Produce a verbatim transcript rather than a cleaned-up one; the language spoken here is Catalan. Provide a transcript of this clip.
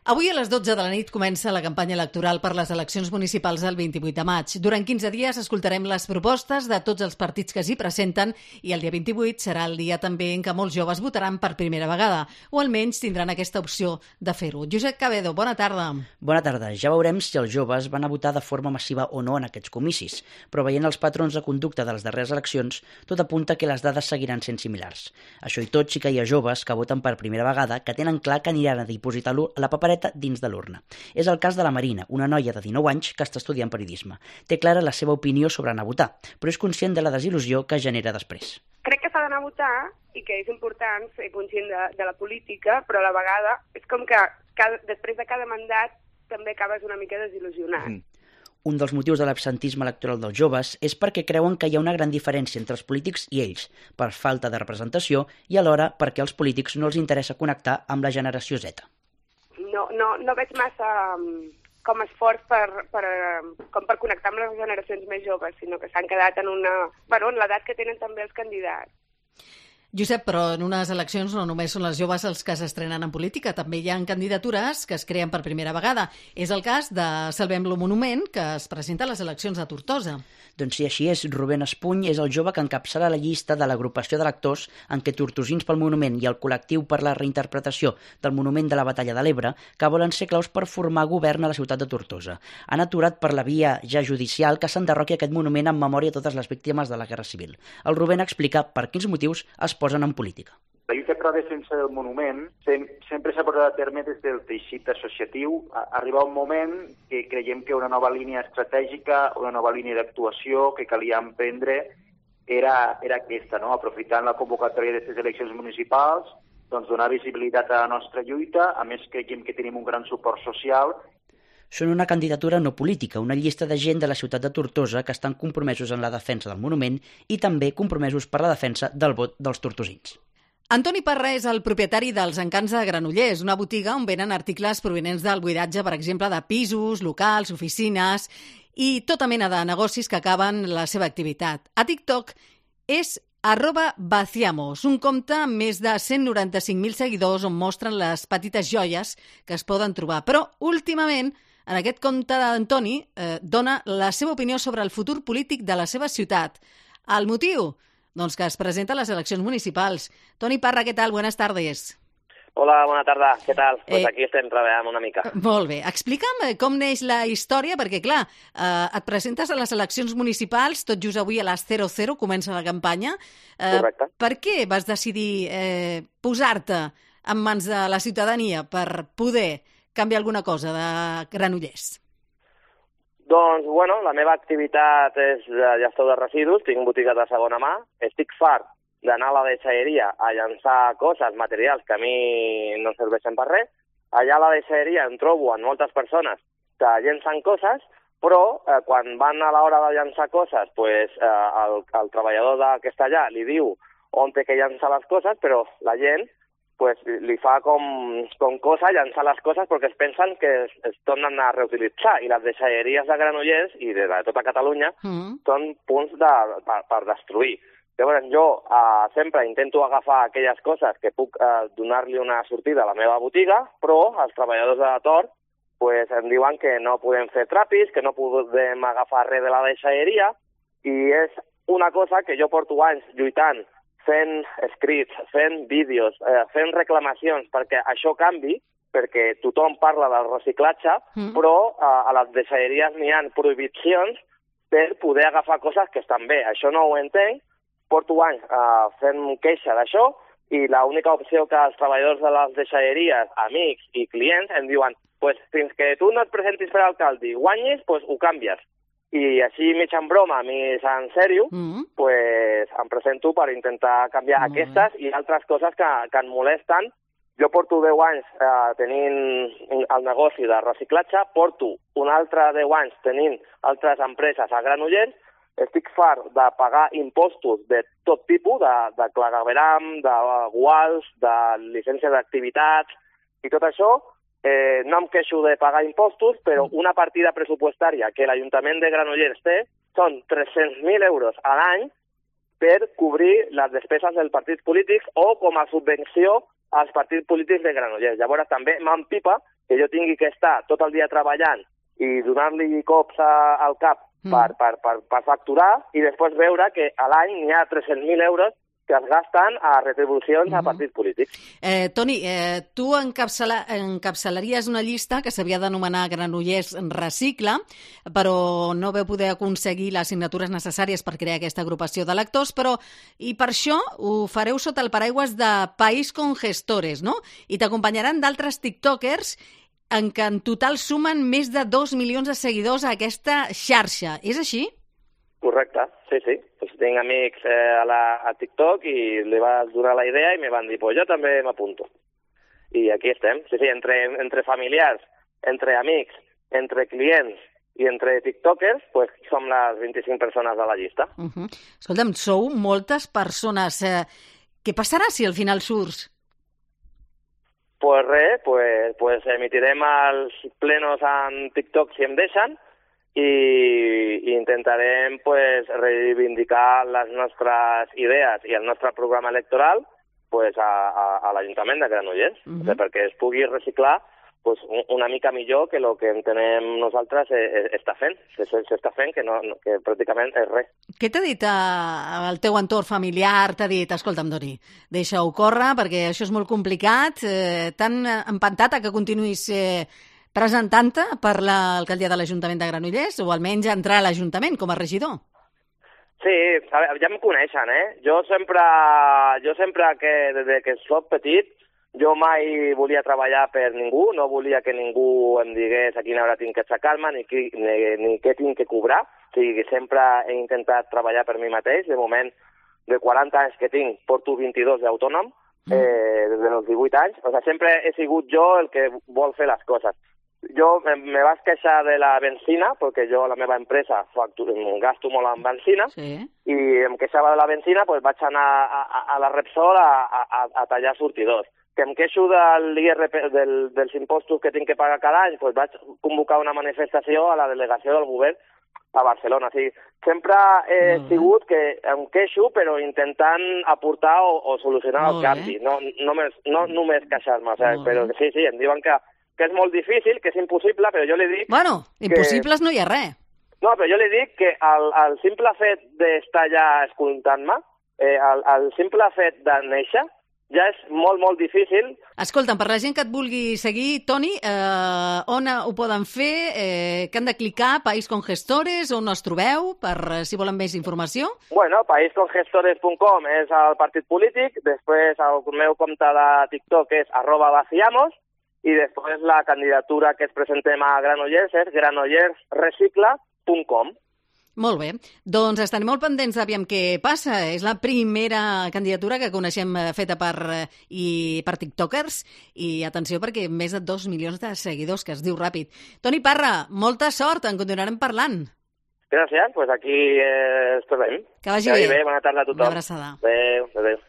Avui a les dotze de la nit comença la campanya electoral per les eleccions municipals del vint-i-vuit de maig. Durant quinze dies escoltarem les propostes de tots els partits que s'hi presenten i el dia vint-i-vuit serà el dia també en què molts joves votaran per primera vegada, o almenys tindran aquesta opció de fer-ho. Josep Cabedo, bona tarda. Bona tarda. Ja veurem si els joves van a votar de forma massiva o no en aquests comicis, però veient els patrons de conducta de les darreres eleccions, tot apunta que les dades seguiran sent similars. Això i tot, sí que hi ha joves que voten per primera vegada que tenen clar que aniran a dipositar la papereta dins de l'urna. És el cas de la Marina, una noia de dinou anys que està estudiant periodisme. Té clara la seva opinió sobre anar a votar, però és conscient de la desil·lusió que genera després. Crec que s'ha d'anar a votar i que és important ser conscient de, de la política, però a la vegada és com que cada, després de cada mandat també acabes una mica desil·lusionat. Mm. Un dels motius de l'absentisme electoral dels joves és perquè creuen que hi ha una gran diferència entre els polítics i ells, per falta de representació i alhora perquè als polítics no els interessa connectar amb la generació Z. No, no, no veig massa um, com esforç per, per, com per connectar amb les generacions més joves, sinó que s'han quedat en una, bueno, en l'edat que tenen també els candidats. Josep, però en unes eleccions no només són les joves els que s'estrenen en política, també hi ha candidatures que es creen per primera vegada. És el cas de Salvem-lo Monument, que es presenta a les eleccions de Tortosa. Doncs sí, així és. Rubén Espuny és el jove que encapçala la llista de l'agrupació d'electors en què Tortosins pel Monument i el col·lectiu per la reinterpretació del Monument de la Batalla de l'Ebre, que volen ser claus per formar govern a la ciutat de Tortosa. Han aturat per la via ja judicial que s'enderroqui aquest monument en memòria de totes les víctimes de la Guerra Civil. El Rubén explica per quins motius es posen en política. La lluita per la defensa del monument sempre s'ha portat a terme des del teixit associatiu. Arriba un moment que creiem que una nova línia estratègica, una nova línia d'actuació que calia emprendre era, era aquesta, no? Aprofitant la convocatòria d'aquestes eleccions municipals, doncs donar visibilitat a la nostra lluita. A més, creiem que tenim un gran suport social. Són una candidatura no política, una llista de gent de la ciutat de Tortosa que estan compromesos en la defensa del monument i també compromesos per la defensa del vot dels tortosins. Antoni Parra és el propietari dels Encants de Granollers, una botiga on venen articles provenents del buidatge, per exemple, de pisos, locals, oficines i tota mena de negocis que acaben la seva activitat. A TikTok és arroba vaciamos, un compte amb més de cent noranta-cinc mil seguidors on mostren les petites joies que es poden trobar. Però, últimament, en aquest compte d'Antoni eh, dona la seva opinió sobre el futur polític de la seva ciutat. El motiu? Doncs que es presenta a les eleccions municipals. Toni Parra, què tal? Buenas tardes. Hola, bona tarda. Què tal? Eh, pues aquí estem treballant una mica. Molt bé. Explica'm com neix la història, perquè, clar, eh, et presentes a les eleccions municipals, tot just avui a les zero zero comença la campanya. Eh, Correcte. Per què vas decidir eh, posar-te en mans de la ciutadania per poder canviar alguna cosa de Granollers? Doncs, bueno, la meva activitat és de gestor de residus, tinc botiga de segona mà, estic fart d'anar a la deixalleria a llançar coses, materials que a mi no serveixen per res. Allà a la deixalleria em trobo amb moltes persones que llencen coses, però eh, quan van a l'hora de llançar coses, pues, eh, el, el treballador de, que està allà li diu on té que llançar les coses, però la gent pues, li fa com, com cosa llançar les coses perquè es pensen que es, es tornen a reutilitzar. I les deixalleries de Granollers i de, de tota Catalunya mm. són punts de, per, per destruir. Llavors jo eh, sempre intento agafar aquelles coses que puc eh, donar-li una sortida a la meva botiga, però els treballadors de Tor pues, em diuen que no podem fer trapis, que no podem agafar res de la deixalleria, i és una cosa que jo porto anys lluitant, fent escrits, fent vídeos, eh, fent reclamacions perquè això canvi, perquè tothom parla del reciclatge, mm. però eh, a les deixalleries n'hi ha prohibicions per poder agafar coses que estan bé. Això no ho entenc, porto anys eh, fent queixa d'això i l'única opció que els treballadors de les deixalleries, amics i clients em diuen pues, fins que tu no et presentis per alcalde i guanyis, pues, ho canvies. I així, mig en broma, mig en sèrio, mm. pues, em presento per intentar canviar mm. aquestes i altres coses que, que em molesten. Jo porto deu anys eh, tenint el negoci de reciclatge, porto un altre deu anys tenint altres empreses a Granollers, estic fart de pagar impostos de tot tipus, de, de clavegram, de guals, de llicència d'activitats i tot això. Eh, no em queixo de pagar impostos, però una partida pressupostària que l'Ajuntament de Granollers té són tres-cents mil euros a l'any per cobrir les despeses dels partits polítics o com a subvenció als partits polítics de Granollers. Llavors també m'empipa que jo tingui que estar tot el dia treballant i donar-li cops a, al cap mm. per, per, per, per facturar i després veure que a l'any n'hi ha tres-cents mil euros que es gasten a retribucions mm-hmm. a partits polítics. Eh, Toni, eh, tu encapçala, encapçalaries una llista que s'havia d'anomenar Granollers Recicla, però no veu poder aconseguir les signatures necessàries per crear aquesta agrupació de lectors, però i per això ho fareu sota el paraigües de País con Gestores, no? I t'acompanyaran d'altres tiktokers en què en total sumen més de dos milions de seguidors a aquesta xarxa. És així? Correcte, sí, sí. Pues tinc amics eh, a, la, a TikTok i li va donar la idea i me van dir, pues jo també m'apunto. I aquí estem. Sí, sí, entre, entre familiars, entre amics, entre clients i entre tiktokers, pues som les vint-i-cinc persones de la llista. Uh -huh. Escolta'm, sou moltes persones. Eh, què passarà si al final surts? Pues res, pues, pues emitirem els plenos en TikTok si em deixen, i intentarem pues, reivindicar les nostres idees i el nostre programa electoral pues, a, a, a l'Ajuntament de Granollers, uh-huh. o sigui, perquè es pugui reciclar pues, una mica millor que el que entenem nosaltres està fent, s'està fent, que, no, que pràcticament és res. Què t'ha dit eh, el teu entorn familiar? T'ha dit, escolta'm, Doni, deixa-ho córrer perquè això és molt complicat, eh, t'han empantat a que continuïs eh, presentant-te per l'alcaldia de l'Ajuntament de Granollers o almenys entrar a l'Ajuntament com a regidor? Sí, a veure, ja em coneixen, eh? Jo sempre, jo sempre que, des que soc petit, jo mai volia treballar per ningú, no volia que ningú em digués a quina hora tinc que aixecar-me ni, ni, ni què tinc que cobrar. O sigui, sempre he intentat treballar per mi mateix. De moment, de quaranta anys que tinc, porto vint-i-dos d'autònom, eh, des dels divuit anys. O sigui, sempre he sigut jo el que vol fer les coses. Jo me, me vaig queixar de la benzina, perquè jo a la meva empresa facturo, gasto molt en benzina, sí. i em queixava de la benzina, doncs vaig anar a, a, a la Repsol a, a, a tallar sortidors. Que em queixo del I R P, del, dels impostos que tinc que pagar cada any, doncs vaig convocar una manifestació a la delegació del govern a Barcelona. O sigui, sempre he mm. sigut que em queixo, però intentant aportar o, o solucionar el canvi. No, no, només, no només queixar-me, o sigui, però sí, sí, em diuen que que és molt difícil, que és impossible, però jo li dic... Bueno, impossibles que... no hi ha res. No, però jo li dic que el, el simple fet d'estar allà escoltant-me, eh, el, el simple fet de néixer, ja és molt, molt difícil. Escolta'm, per la gent que et vulgui seguir, Toni, eh, on ho poden fer? Eh, que han de clicar? País con Gestores? On es trobeu? Per si volen més informació? Bueno, país con gestores punt com és el partit polític, després el meu compte de TikTok és arroba vaciamos, i després la candidatura que es presentem a Granollers és granollers recicla punt com. Molt bé. Doncs estarem molt pendents d'aviam què passa. És la primera candidatura que coneixem feta per, i, per tiktokers i atenció perquè més de dos milions de seguidors, que es diu ràpid. Toni Parra, molta sort, en continuarem parlant. Gràcies, doncs aquí eh, esperem. Que vagi bé. bé. Bona tarda a tothom. Una abraçada. Adéu, adéu.